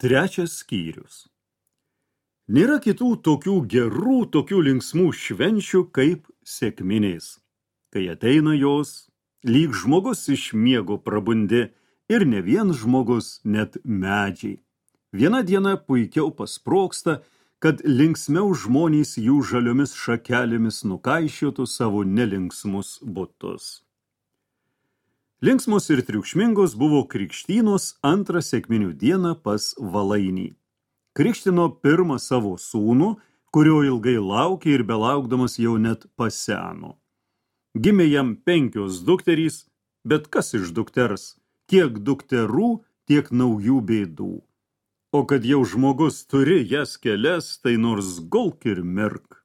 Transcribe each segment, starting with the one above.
Trečias skyrius. Nėra kitų tokių gerų, tokių linksmų švenčių kaip sekminės. Kai ateina jos, lyg žmogus iš miego prabundi ir ne vien žmogus, net medžiai. Viena diena puikiau pasproksta, kad linksmiau žmonės jų žaliomis šakelėmis nukaišiotų savo nelinksmus butus. Linksmos ir triukšmingos buvo krikštynos antrą sekminių dieną pas Valainį. Krikštino pirmą savo sūnų, kurio ilgai laukė ir belaukdamas jau net paseno. Gimė jam 5 dukterys, bet kas iš dukters? Tiek dukterų, tiek naujų bėdų. O kad jau žmogus turi jas kelias, tai nors gulk ir mirk.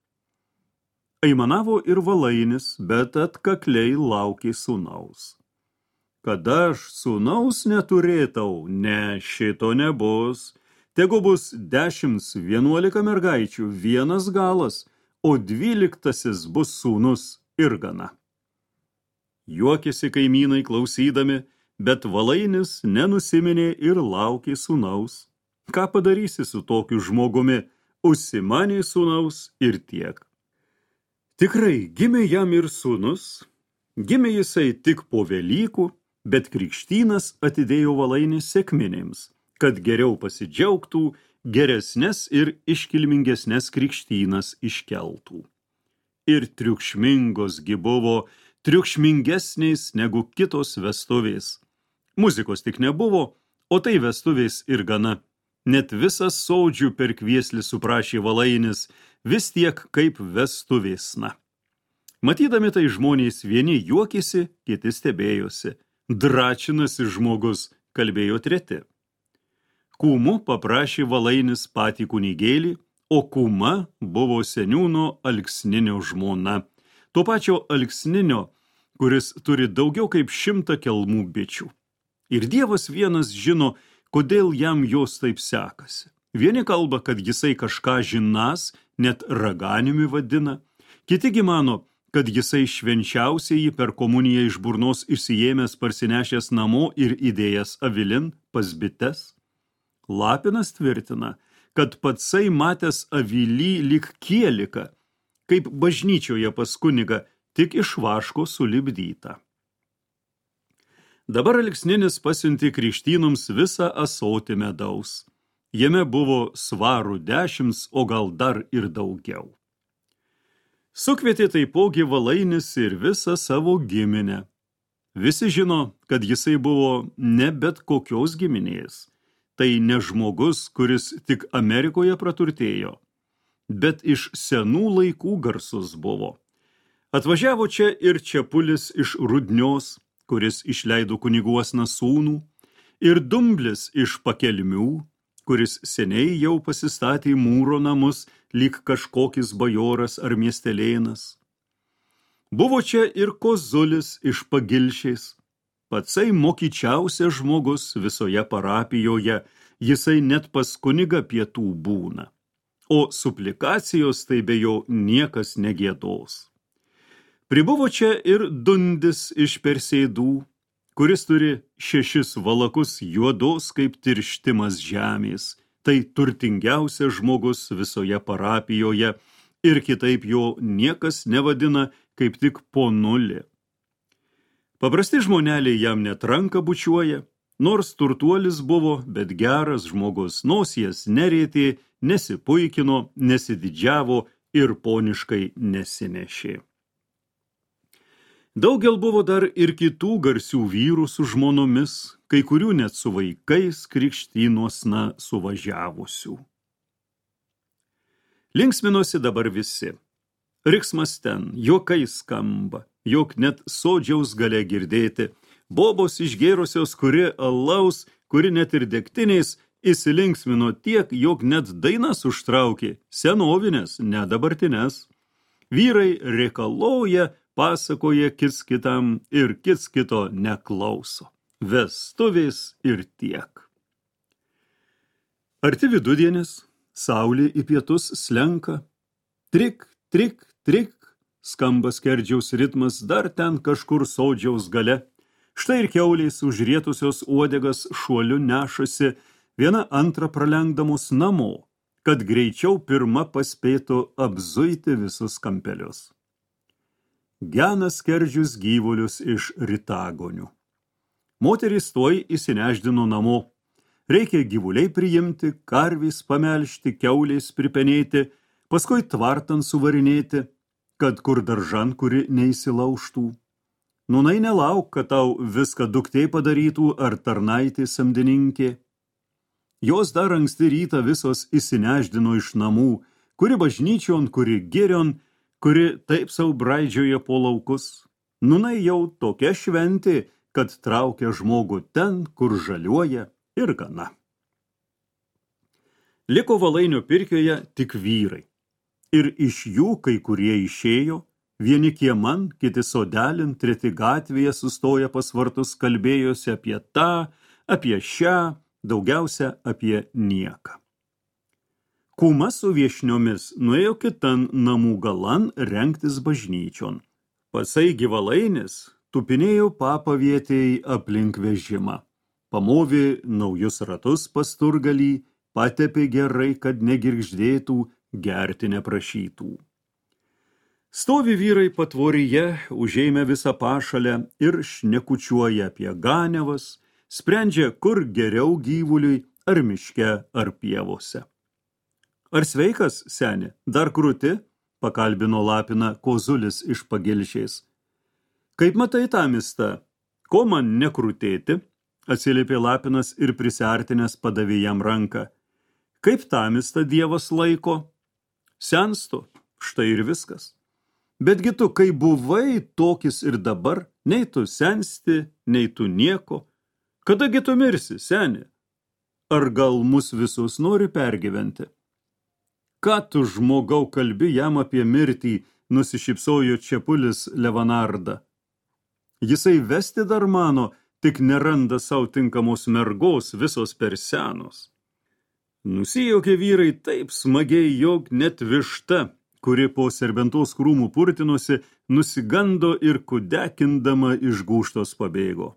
Aimanavo ir Valainis, bet atkakliai laukė sūnaus. Kad aš sūnaus neturėtau, ne, šito nebus. Tegu bus 10-11 mergaičių, vienas galas, o 12 bus sūnus ir gana. Juokėsi kaimynai klausydami, bet Valainis nenusiminė ir laukė sūnaus. Ką padarysi su tokiu žmogumi, užsimanė sūnaus ir tiek. Tikrai gimė jam ir sūnus, gimė jisai tik po Velykų, bet krikštynas atidėjo Valainį sekminėms, kad geriau pasidžiaugtų, geresnes ir iškilmingesnes krikštynas iškeltų. Ir triukšmingos gi buvo, triukšmingesnės negu kitos vestuvės. Muzikos tik nebuvo, o tai vestuvės ir gana. Net visas sodžių per kvieslį suprašė Valainis, vis tiek kaip vestuvėsna. Matydami tai žmonės vieni juokėsi, kiti stebėjosi. Dračinasi žmogus, kalbėjo treti. Kūmu paprašė Valainis patį kunigėlį, o kūma buvo seniūno Alksninio žmona. To pačio Alksninio, kuris turi daugiau kaip 100 kelmų bičių. Ir Dievas vienas žino, kodėl jam jos taip sekasi. Vieni kalba, kad jisai kažką žinas, net raganiumi vadina. Kitigi mano, kad jisai švenčiausiai per komuniją iš burnos išsiėmęs parsinešęs namo ir įdėjęs avilin pas bites. Lapinas tvirtina, kad patsai matęs avilį lyg kielika, kaip bažnyčioje pas kunigą, tik iš vaško sulipdyta. Dabar Alksninis pasiuntė krikštynoms visą ąsotį medaus. Jame buvo svarų 10, o gal dar ir daugiau. Sukvietė taipogi Valainis ir visą savo giminę. Visi žino, kad jisai buvo ne bet kokios giminės. Tai ne žmogus, kuris tik Amerikoje praturtėjo, bet iš senų laikų garsus buvo. Atvažiavo čia ir Čepulis iš Rudnios, kuris išleido kuniguosną sūnų, ir Dumblis iš Pakelmių, kuris seniai jau pasistatė mūro namus, lyg kažkokis bajoras ar miestelėnas. Buvo čia ir Kozulis iš Pagilšės, patsai mokyčiausias žmogus visoje parapijoje, jisai net pas kunigą pietų būna, o suplikacijos tai be jo niekas negiedos. Pribuvo čia ir Dundis iš Persėdų, kuris turi 6 valakus juodos kaip tirštimas žemės, tai turtingiausias žmogus visoje parapijoje ir kitaip jo niekas nevadina kaip tik ponulį. Paprasti žmoneliai jam net ranką bučiuoja, nors turtuolis buvo, bet geras žmogus, nosies nerėtė, nesipuikino, nesididžiavo ir poniškai nesinešė. Daugel buvo dar ir kitų garsių vyrų su žmonomis, kai kurių net su vaikais krikštynosna suvažiavusių. Linksminosi dabar visi. Riksmas ten, juokai skamba, jog net sodžiaus gale girdėti, bobos išgėrusios, kuri alaus, kuri net ir degtiniais, įsilinksmino tiek, jog net dainas užtraukė, senovinės, ne dabartinės. Vyrai reikaloja, pasakoja kits kitam ir kits kito neklauso. Vestuvės ir tiek. Arti vidudienis, saulė į pietus slenka. Trik, trik, trik, skamba skerdžiaus ritmas dar ten kažkur sodžiaus gale. Štai ir kiaulės užrietusios uodegas šuoliu nešasi, viena antrą pralenkdamos namo, kad greičiau pirma paspėtų apzuiti visus kampelius. Gena skerdžius gyvulius iš ritagonių. Moterys tuoj įsineždino namo. Reikia gyvuliai priimti, karvys pamelžti, kiaulės pripenėti, paskui tvartan suvarinėti, kad kur daržan, kuri neįsilaužtų. Nūnai nelauk, kad tau viską duktė padarytų ar tarnaitė samdininkė. Jos dar anksti rytą visos įsineždino iš namų, kuri bažnyčion, kuri girion, kuri taip sau braidžioja po laukus. Nūnai jau tokia šventė, kad traukia žmogų ten, kur žaliuoja ir gana. Liko Valainio pirkioje tik vyrai. Ir iš jų kai kurie išėjo, vieni kieman, kiti sodelin, treti gatvėje sustoja pas vartus, kalbėjosi apie tą, apie šią, daugiausia apie nieką. Kūma su viešniomis nuėjo kitan namų galan rengtis bažnyčion. Pasai Valainis tupinėjo papavietėjai aplink vežimą. Pamovė naujus ratus pas turgalį, patepė gerai, kad negirgždėtų, gerti neprašytų. Stovi vyrai patvoryje, užėmė visą pašalę ir šnekučiuoja apie ganiavas, sprendžia, kur geriau gyvuliui, ar miške, ar pievose. Ar sveikas, seni, dar krūti? Pakalbino Lapiną Kozulis iš Pagilšės. Kaip matai tą mistą? Ko man nekrūtėti? Atsiliepė Lapinas ir prisiartinęs padavė jam ranką. Kaip tamistą Dievas laiko? Senstu, štai ir viskas. Betgi tu, kai buvai tokis ir dabar, nei tu sensti, nei tu nieko. Kadagi tu mirsi, seni? Ar gal mus visus nori pergyventi? Ką tu, žmogau, kalbi jam apie mirtį, nusišypsojo Čepulis Levanarda. Jisai vesti dar mano, tik neranda savo tinkamos mergos, visos per senos. Nusijaukė vyrai taip smagiai, jog net višta, kuri po serbentos krūmų purtinosi, nusigando ir kudekindama iš gūžtos pabėgo.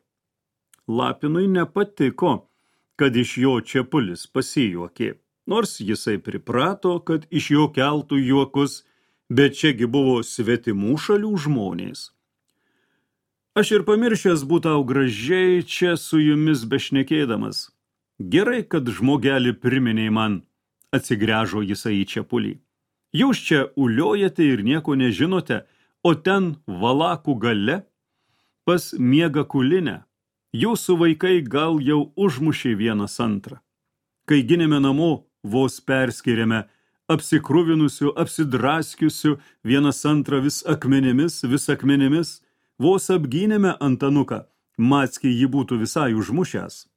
Lapinui nepatiko, kad iš jo Čepulis pasijuokė, nors jisai priprato, kad iš jo keltų juokus, bet čiagi buvo svetimų šalių žmonės. Aš ir pamiršęs būtau gražiai čia su jumis bešnekėdamas. Gerai, kad žmogelį priminė man, atsigręžo jisai į Čepulį. Jūs čia uliojate ir nieko nežinote, o ten Valakų gale, pas miega kulinę. Jūsų vaikai gal jau užmušė vienas antrą. Kai ginėme namo, vos perskiriame, apsikruvinusių, apsidraskiusių, vienas antrą vis akmenimis, vos apgynėme Antanuką, Mackiai jį būtų visai užmušęs.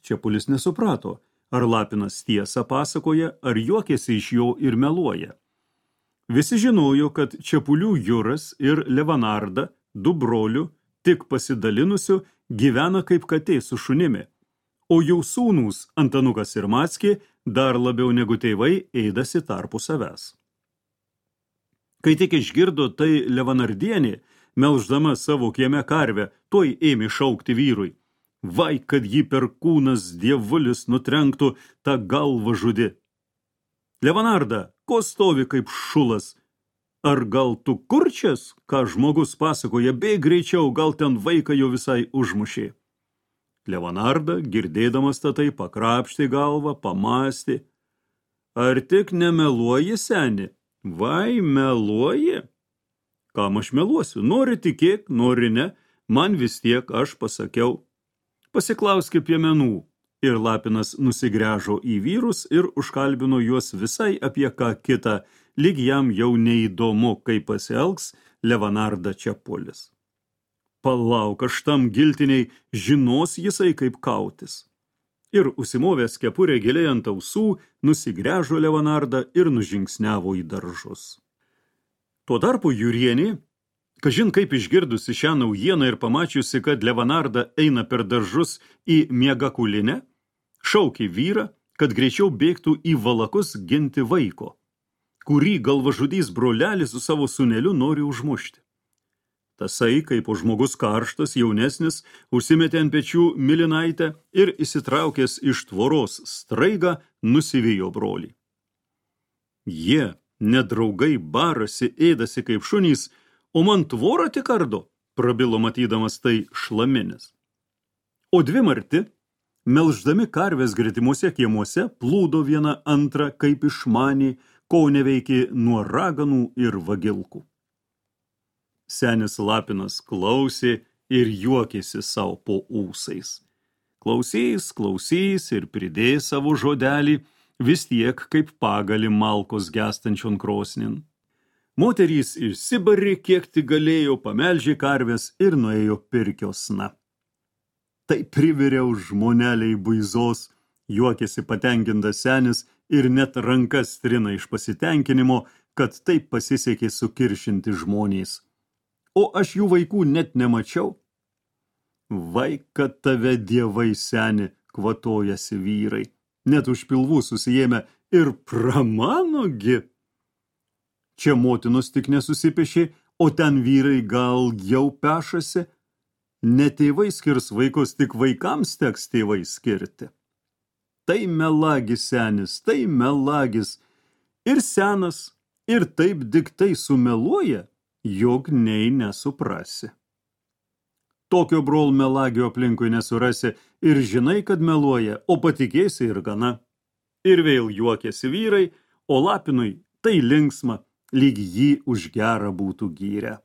Čepulis nesuprato, ar Lapinas tiesą pasakoja, ar juokėsi iš jo ir meluoja. Visi žinojo, kad Čepulių Juras ir Levanarda, du brolių, tik pasidalinusių, gyvena kaip katė su šunimi, o jų sūnūs Antanukas ir Mackiai dar labiau negu tėvai ėdasi tarpu savęs. Kai tik išgirdo tai Levanardienė, melždama savo kieme karvę, tuoj ėmė šaukti vyrui. Vai, kad jį per kūnas dievulis nutrenktų, tą galvą žudi. Levanarda, ko stovi kaip šulas? Ar gal tu kurčias, ką žmogus pasakoja, bėk greičiau, gal ten vaiką jo visai užmušė. Levanarda, girdėdamas tai, pakrapštė galvą, pamąstė. Ar tik nemeluoji, seni? Vai, meluoji? Kam aš meluosiu? Nori tikėk, nori ne, man vis tiek aš pasakiau. Pasiklauskė piemenų. Ir Lapinas nusigręžo į vyrus ir užkalbino juos visai apie ką kitą, lyg jam jau neįdomu, kaip pasielgs Levanarda Čepulis. Palauk, aš tam giltiniai, žinos jisai kaip kautis. Ir užsimovęs kepurę giliai ant ausų, nusigręžo Levanarda ir nužingsniavo į daržus. Tuo tarpu Jurienė, kažin kaip išgirdusi šią naujieną ir pamačiusi, kad Levanarda eina per daržus į miegakulinę, šaukė vyrą, kad greičiau bėgtų į Valakus ginti vaiko, kurį galvažudys brolelis su savo sūneliu nori užmušti. Tasai, kaip žmogus karštas, jaunesnis, užsimetė ant pečių milinaitę ir įsitraukęs iš tvoros straigą nusivijo brolį. Jie, nedraugai, barasi, ėdasi kaip šunys, o man tvorą tik ardo, prabilo matydamas tai šlaminis. O dvi marti, melždami karvės gretimuose kiemuose, plūdo viena antrą kaip išmanį, ko neveikė nuo raganų ir vagilkų. Senis Lapinas klausė ir juokėsi savo po ūsais. Klausys ir pridės savo žodelį, vis tiek kaip pagali malkos gestančion krosnin. Moterys išsibarė, kiek tik galėjo, pamelžė karvės ir nuėjo pirkiosna. Tai priviriau žmoneliai buizos, juokėsi patenkintas senis ir net rankas trina iš pasitenkinimo, kad taip pasisekė sukiršinti žmonės. O aš jų vaikų net nemačiau. Vai, kad tave dievai, seni, kvatojasi vyrai, net už pilvų susijėmė ir pramanogi. Čia motinos tik nesusipešė, o ten vyrai gal jau pešasi. Ne tėvai skirs vaikus, tik vaikams teks tėvai skirti. Tai melagis senis, tai melagis. Ir senas, ir taip diktai sumeluoja, jog nei nesuprasi. Tokio brol melagio aplinkui nesurasi ir žinai, kad meluoja, o patikėsi ir gana. Ir vėl juokėsi vyrai, o Lapinui tai linksma, lyg jį už gerą būtų gyrę.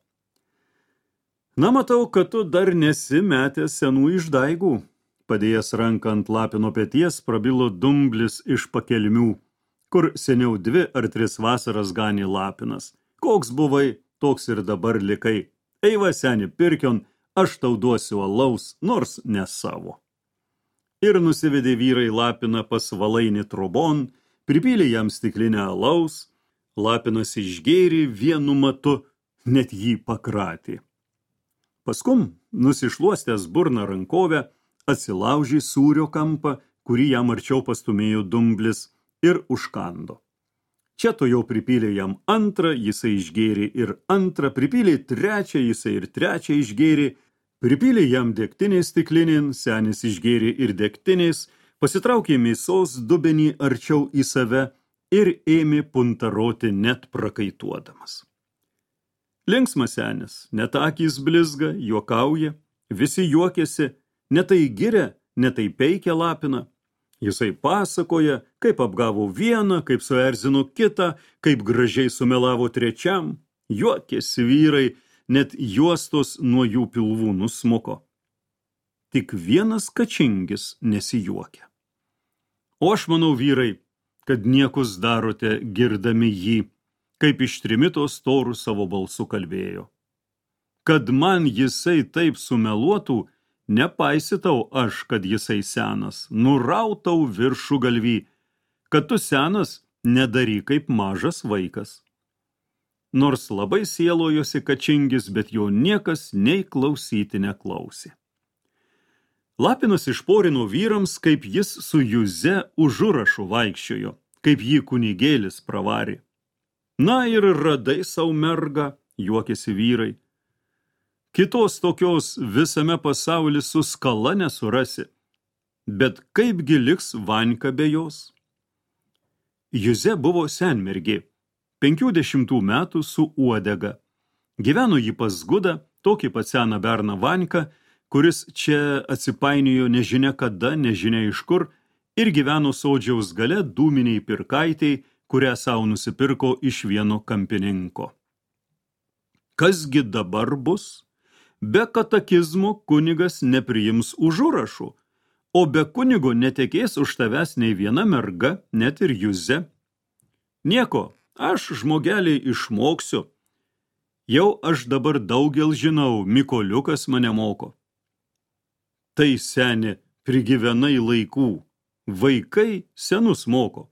Na, matau, kad tu dar nesi metęs senų išdaigų. Padėjęs ranką ant Lapino peties, prabilo Dumblis iš pakelmių, kur seniau 2 ar 3 vasaras ganė Lapinas. Koks buvai, toks ir dabar likai. Eiva, seni, pirkion, aš tau duosiu alaus, nors ne savo. Ir nusivedė vyrai Lapiną pas Valainį trobon, pripylė jam stiklinę alaus, Lapinas išgėrė vienu matu, net jį pakratė. Paskum, nusišluostęs burną rankovę, atsilaužė sūrio kampą, kurį jam arčiau pastumėjo Dumblis, ir užkando. Čia to jau pripylė jam antrą, jisai išgėrė ir antrą, pripylė trečią, jisai ir trečią išgėrė, pripylė jam degtinės stiklinėn, senis išgėrė ir degtinės, pasitraukė mėsos dubenį arčiau į save ir ėmė puntaroti net prakaituodamas. Linksmas senis, net akys blizga, juokauja, visi juokėsi, netai giria, netai peikia Lapiną. Jisai pasakoja, kaip apgavo vieną, kaip suerzino kitą, kaip gražiai sumelavo trečiam. Juokėsi vyrai, net juostos nuo jų pilvų nusmuko. Tik vienas Kačingis nesijuokia. O aš manau, vyrai, kad niekus darote girdami jį, kaip iš trimito storų savo balsu kalbėjo. Kad man jisai taip sumeluotų, nepaisitau aš, kad jisai senas, nurautau viršų galvy, kad tu senas nedaryk kaip mažas vaikas. Nors labai sielojosi Kačingis, bet jo niekas nei klausyti neklausė. Lapinas išporino vyrams, kaip jis su Juze užurašu vaikščiojo, kaip jį kunigėlis pravarė. Na ir radai sau mergą, juokėsi vyrai. Kitos tokios visame pasauly su skala nesurasi, bet kaipgi liks Vanka be jos? Juze buvo senmergė, 50 metų su uodega. Gyveno jį pas Gudą, tokį pat seną berną Vanką, kuris čia atsipainiojo nežinia kada, nežinia iš kur, ir gyveno sodžiaus gale dūminiai pirkaitei, kurią savo nusipirko iš vieno kampininko. Kasgi dabar bus? Be katekizmo kunigas nepriims užurašų, o be kunigo netekės už tavęs nei viena merga, net ir Juze. Nieko, aš žmogeliai išmoksiu. Jau aš dabar daugel žinau, Mikoliukas mane moko. Tai, seni, prigyvenai laikų, vaikai senus moko.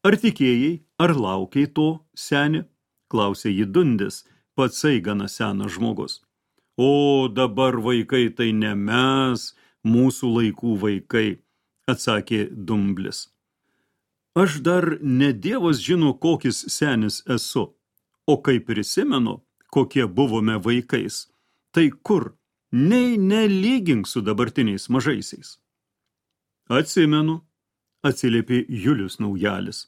Ar tikėjai, ar laukiai to, seni? Klausė jį Dundis, patsai gana senas žmogus. O dabar vaikai tai ne mes, mūsų laikų vaikai, atsakė Dumblis. Aš dar ne Dievas žino, kokis senis esu, o kai prisimenu, kokie buvome vaikais, Tai kur? Nei nelygink su dabartiniais mažaisiais. Atsimenu, atsiliepė Julius Naujalis.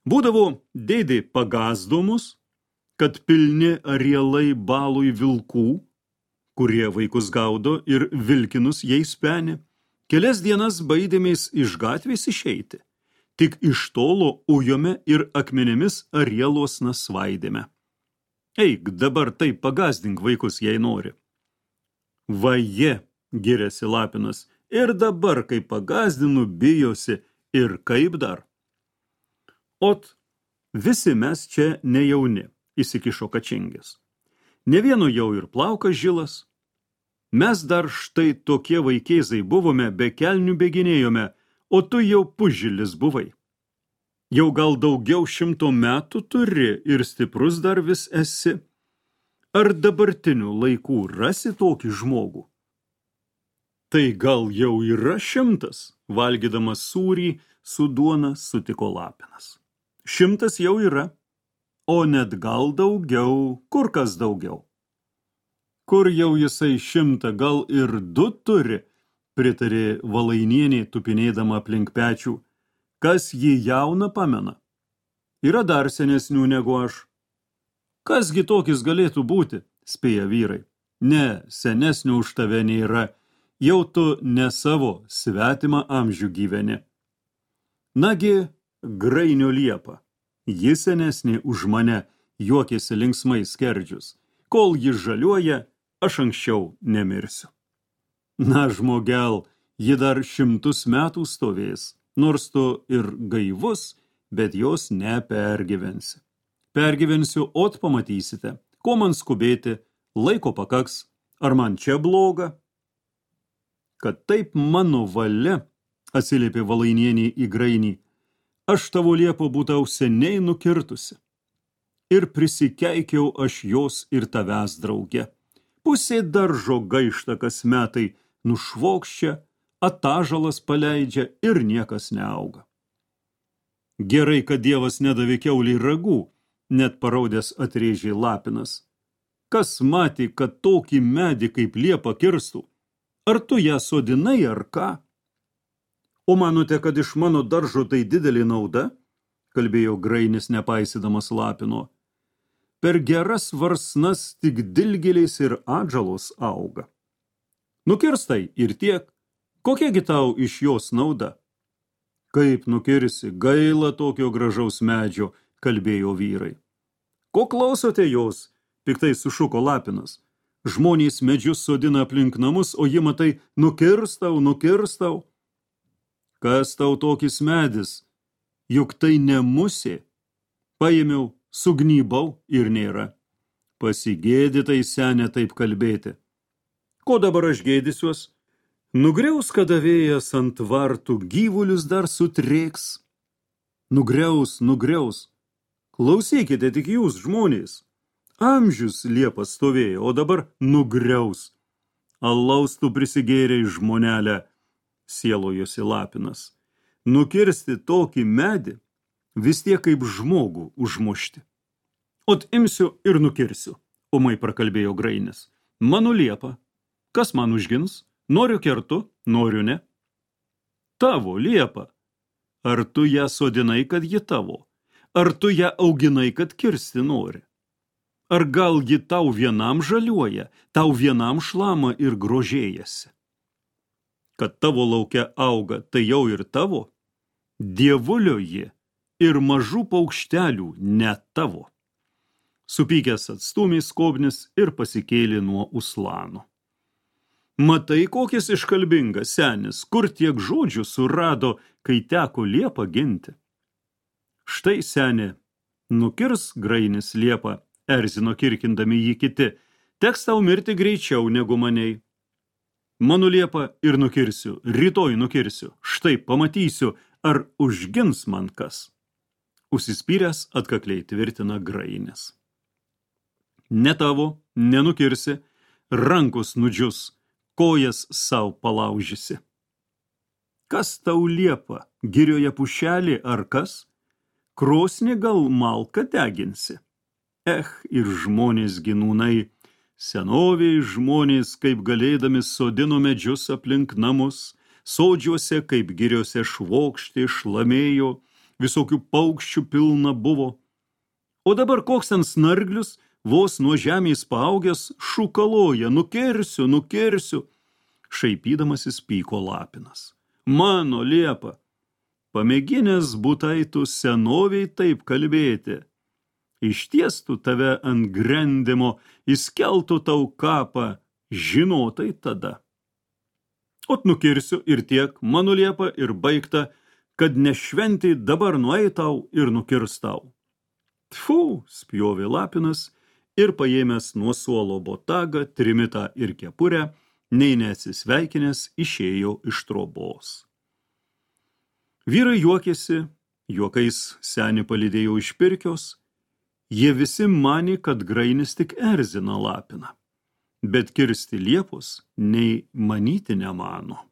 Būdavo dėdė pagazdomus, kad pilni arielai balui vilkų, kurie vaikus gaudo ir vilkinus jais peni, kelias dienas baidėmės iš gatvės išeiti. Tik iš tolo ujome ir akmenėmis arielos nasvaidėme. Eik, dabar taip pagazdink vaikus, jei nori. Vaje, giriasi Lapinas, ir dabar, kai pagazdinu, bijosi ir kaip dar. Ot, visi mes čia nejauni, įsikišo Kačingis. Ne vieno jau ir plaukas žilas. Mes dar štai tokie vaikėzai buvome, be kelnių bėginėjome, o tu jau pusžilis buvai. Jau gal daugiau 100 metų turi ir stiprus dar vis esi. Ar dabartinių laikų rasi tokį žmogų? Tai gal jau yra 100, valgydamas sūrį su duona sutiko Lapinas. 100 jau yra, o net gal daugiau, kur kas daugiau. Kur jau jisai 100, gal ir 2 turi, pritarė Valainienė tupinėdama aplink pečių. Kas jį jauną pamena? Yra dar senesnių negu aš. Kasgi tokis galėtų būti, spėja vyrai. Ne, senesnių už tave nėra, jau tu ne savo svetimą amžių gyveni. Nagi, Grainio Liepa, ji senesnė už mane, juokėsi linksmai Skerdžius. Kol ji žaliuoja, aš anksčiau nemirsiu. Na, žmogel, ji dar 100 metų stovės, nors tu ir gaivus, bet jos nepergyvensi. Pergyvensiu, ot pamatysite, ko man skubėti, laiko pakaks, ar man čia bloga? Kad taip mano valia, atsiliepė Valainienė į Grainį, aš tavo Liepo būtau seniai nukirtusi. Ir prisikeikiau aš jos ir tavęs drauge. Pusė daržo gaišta kas metai, nušvokščia, atažalas paleidžia ir niekas neauga. Gerai, kad Dievas nedavė kiauliai ragų, net paraudęs atrėžė Lapinas. Kas matė, kad tokį medį kaip Liepa kirstų? Ar tu ją sodinai ar ką? O manote, kad iš mano daržo tai didelė nauda? Kalbėjo Grainis nepaisydamas Lapino. Per geras varsnas tik dilgėlės ir atžalos auga. Nukirstai ir tiek. Kokiagi tau iš jos nauda? Kaip nukirsi, gaila tokio gražaus medžio, kalbėjo vyrai. Ko klausote jos? Piktai sušuko Lapinas. Žmonės medžius sodina aplink namus, o ji matai, nukirstau. Kas tau tokis medis? Juk tai ne musė. Paėmiau, sugnybau ir nėra. Pasigėdytai senė taip kalbėti. Ko dabar aš gėdysiuos? Nugriaus kadavėjas ant vartų, gyvulius dar sutrėks. Nugriaus. Klausykite tik jūs, žmonės. Amžius Liepa stovėjo, o dabar nugriaus. Alaus tu prisigėrei, žmonelę, sielojosi Lapinas. Nukirsti tokį medį, vis tiek kaip žmogų užmušti. Ot imsiu ir nukirsiu, ūmai prakalbėjo Grainis. Mano Liepa, kas man užgins? Noriu kertu, noriu ne. Tavo Liepa. Ar tu ją sodinai, kad ji tavo? Ar tu ją auginai, kad kirsti nori? Ar gal ji tau vienam žaliuoja, tau vienam šlama ir grožėjasi? Kad tavo lauke auga, tai jau ir tavo? Dievulio ji ir mažų paukštelių ne tavo. Supykęs atstūmė skobnis ir pasikėlė nuo uslano. Matai, kokis iškalbingas senis, kur tiek žodžių surado, kai teko Liepą ginti. Štai, senė, nukirs Grainis Liepą, erzino kirkindami jį kiti, teks tau mirti greičiau negu maniai. Mano Liepą ir nukirsiu, rytoj nukirsiu, štai pamatysiu, ar užgins man kas. Užsispyręs atkakliai tvirtina Grainis. Ne tavo, nenukirsi, rankos nudžius, kojas sau palaužysi. Kas tau Liepa, girioje pušelė ar kas? Krosnį gal malką deginsi? Ir žmonės ginūnai, Senoviai žmonės, kaip galėdami, sodino medžius aplink namus, sodžiuose, kaip giriose švokštė, šlamėjo, visokių paukščių pilna buvo. O dabar koks ant snarglius, vos nuo žemės paaugęs, šukaloja, nukersiu, nukersiu. Šaipydamasis pyko Lapinas. Mano liepa, pamėginęs būtai tu senoviai taip kalbėti. Ištiestų tave ant grendimo, įskeltų tau kapą, žinotai tada. Ot nukirsiu ir tiek, mano liepa, ir baigta, kad nešventį dabar nueitau ir nukirstau. Tfu, spjovė Lapinas ir paėmęs nuo suolo botagą, trimitą ir kepurę, nei neatsisveikinęs išėjo iš trobos. Vyrai juokėsi, juokais senį palydėjo iš pirkios, jie visi manė, kad grainis tik erzina Lapiną, bet kirsti liepos nei manyti nemano.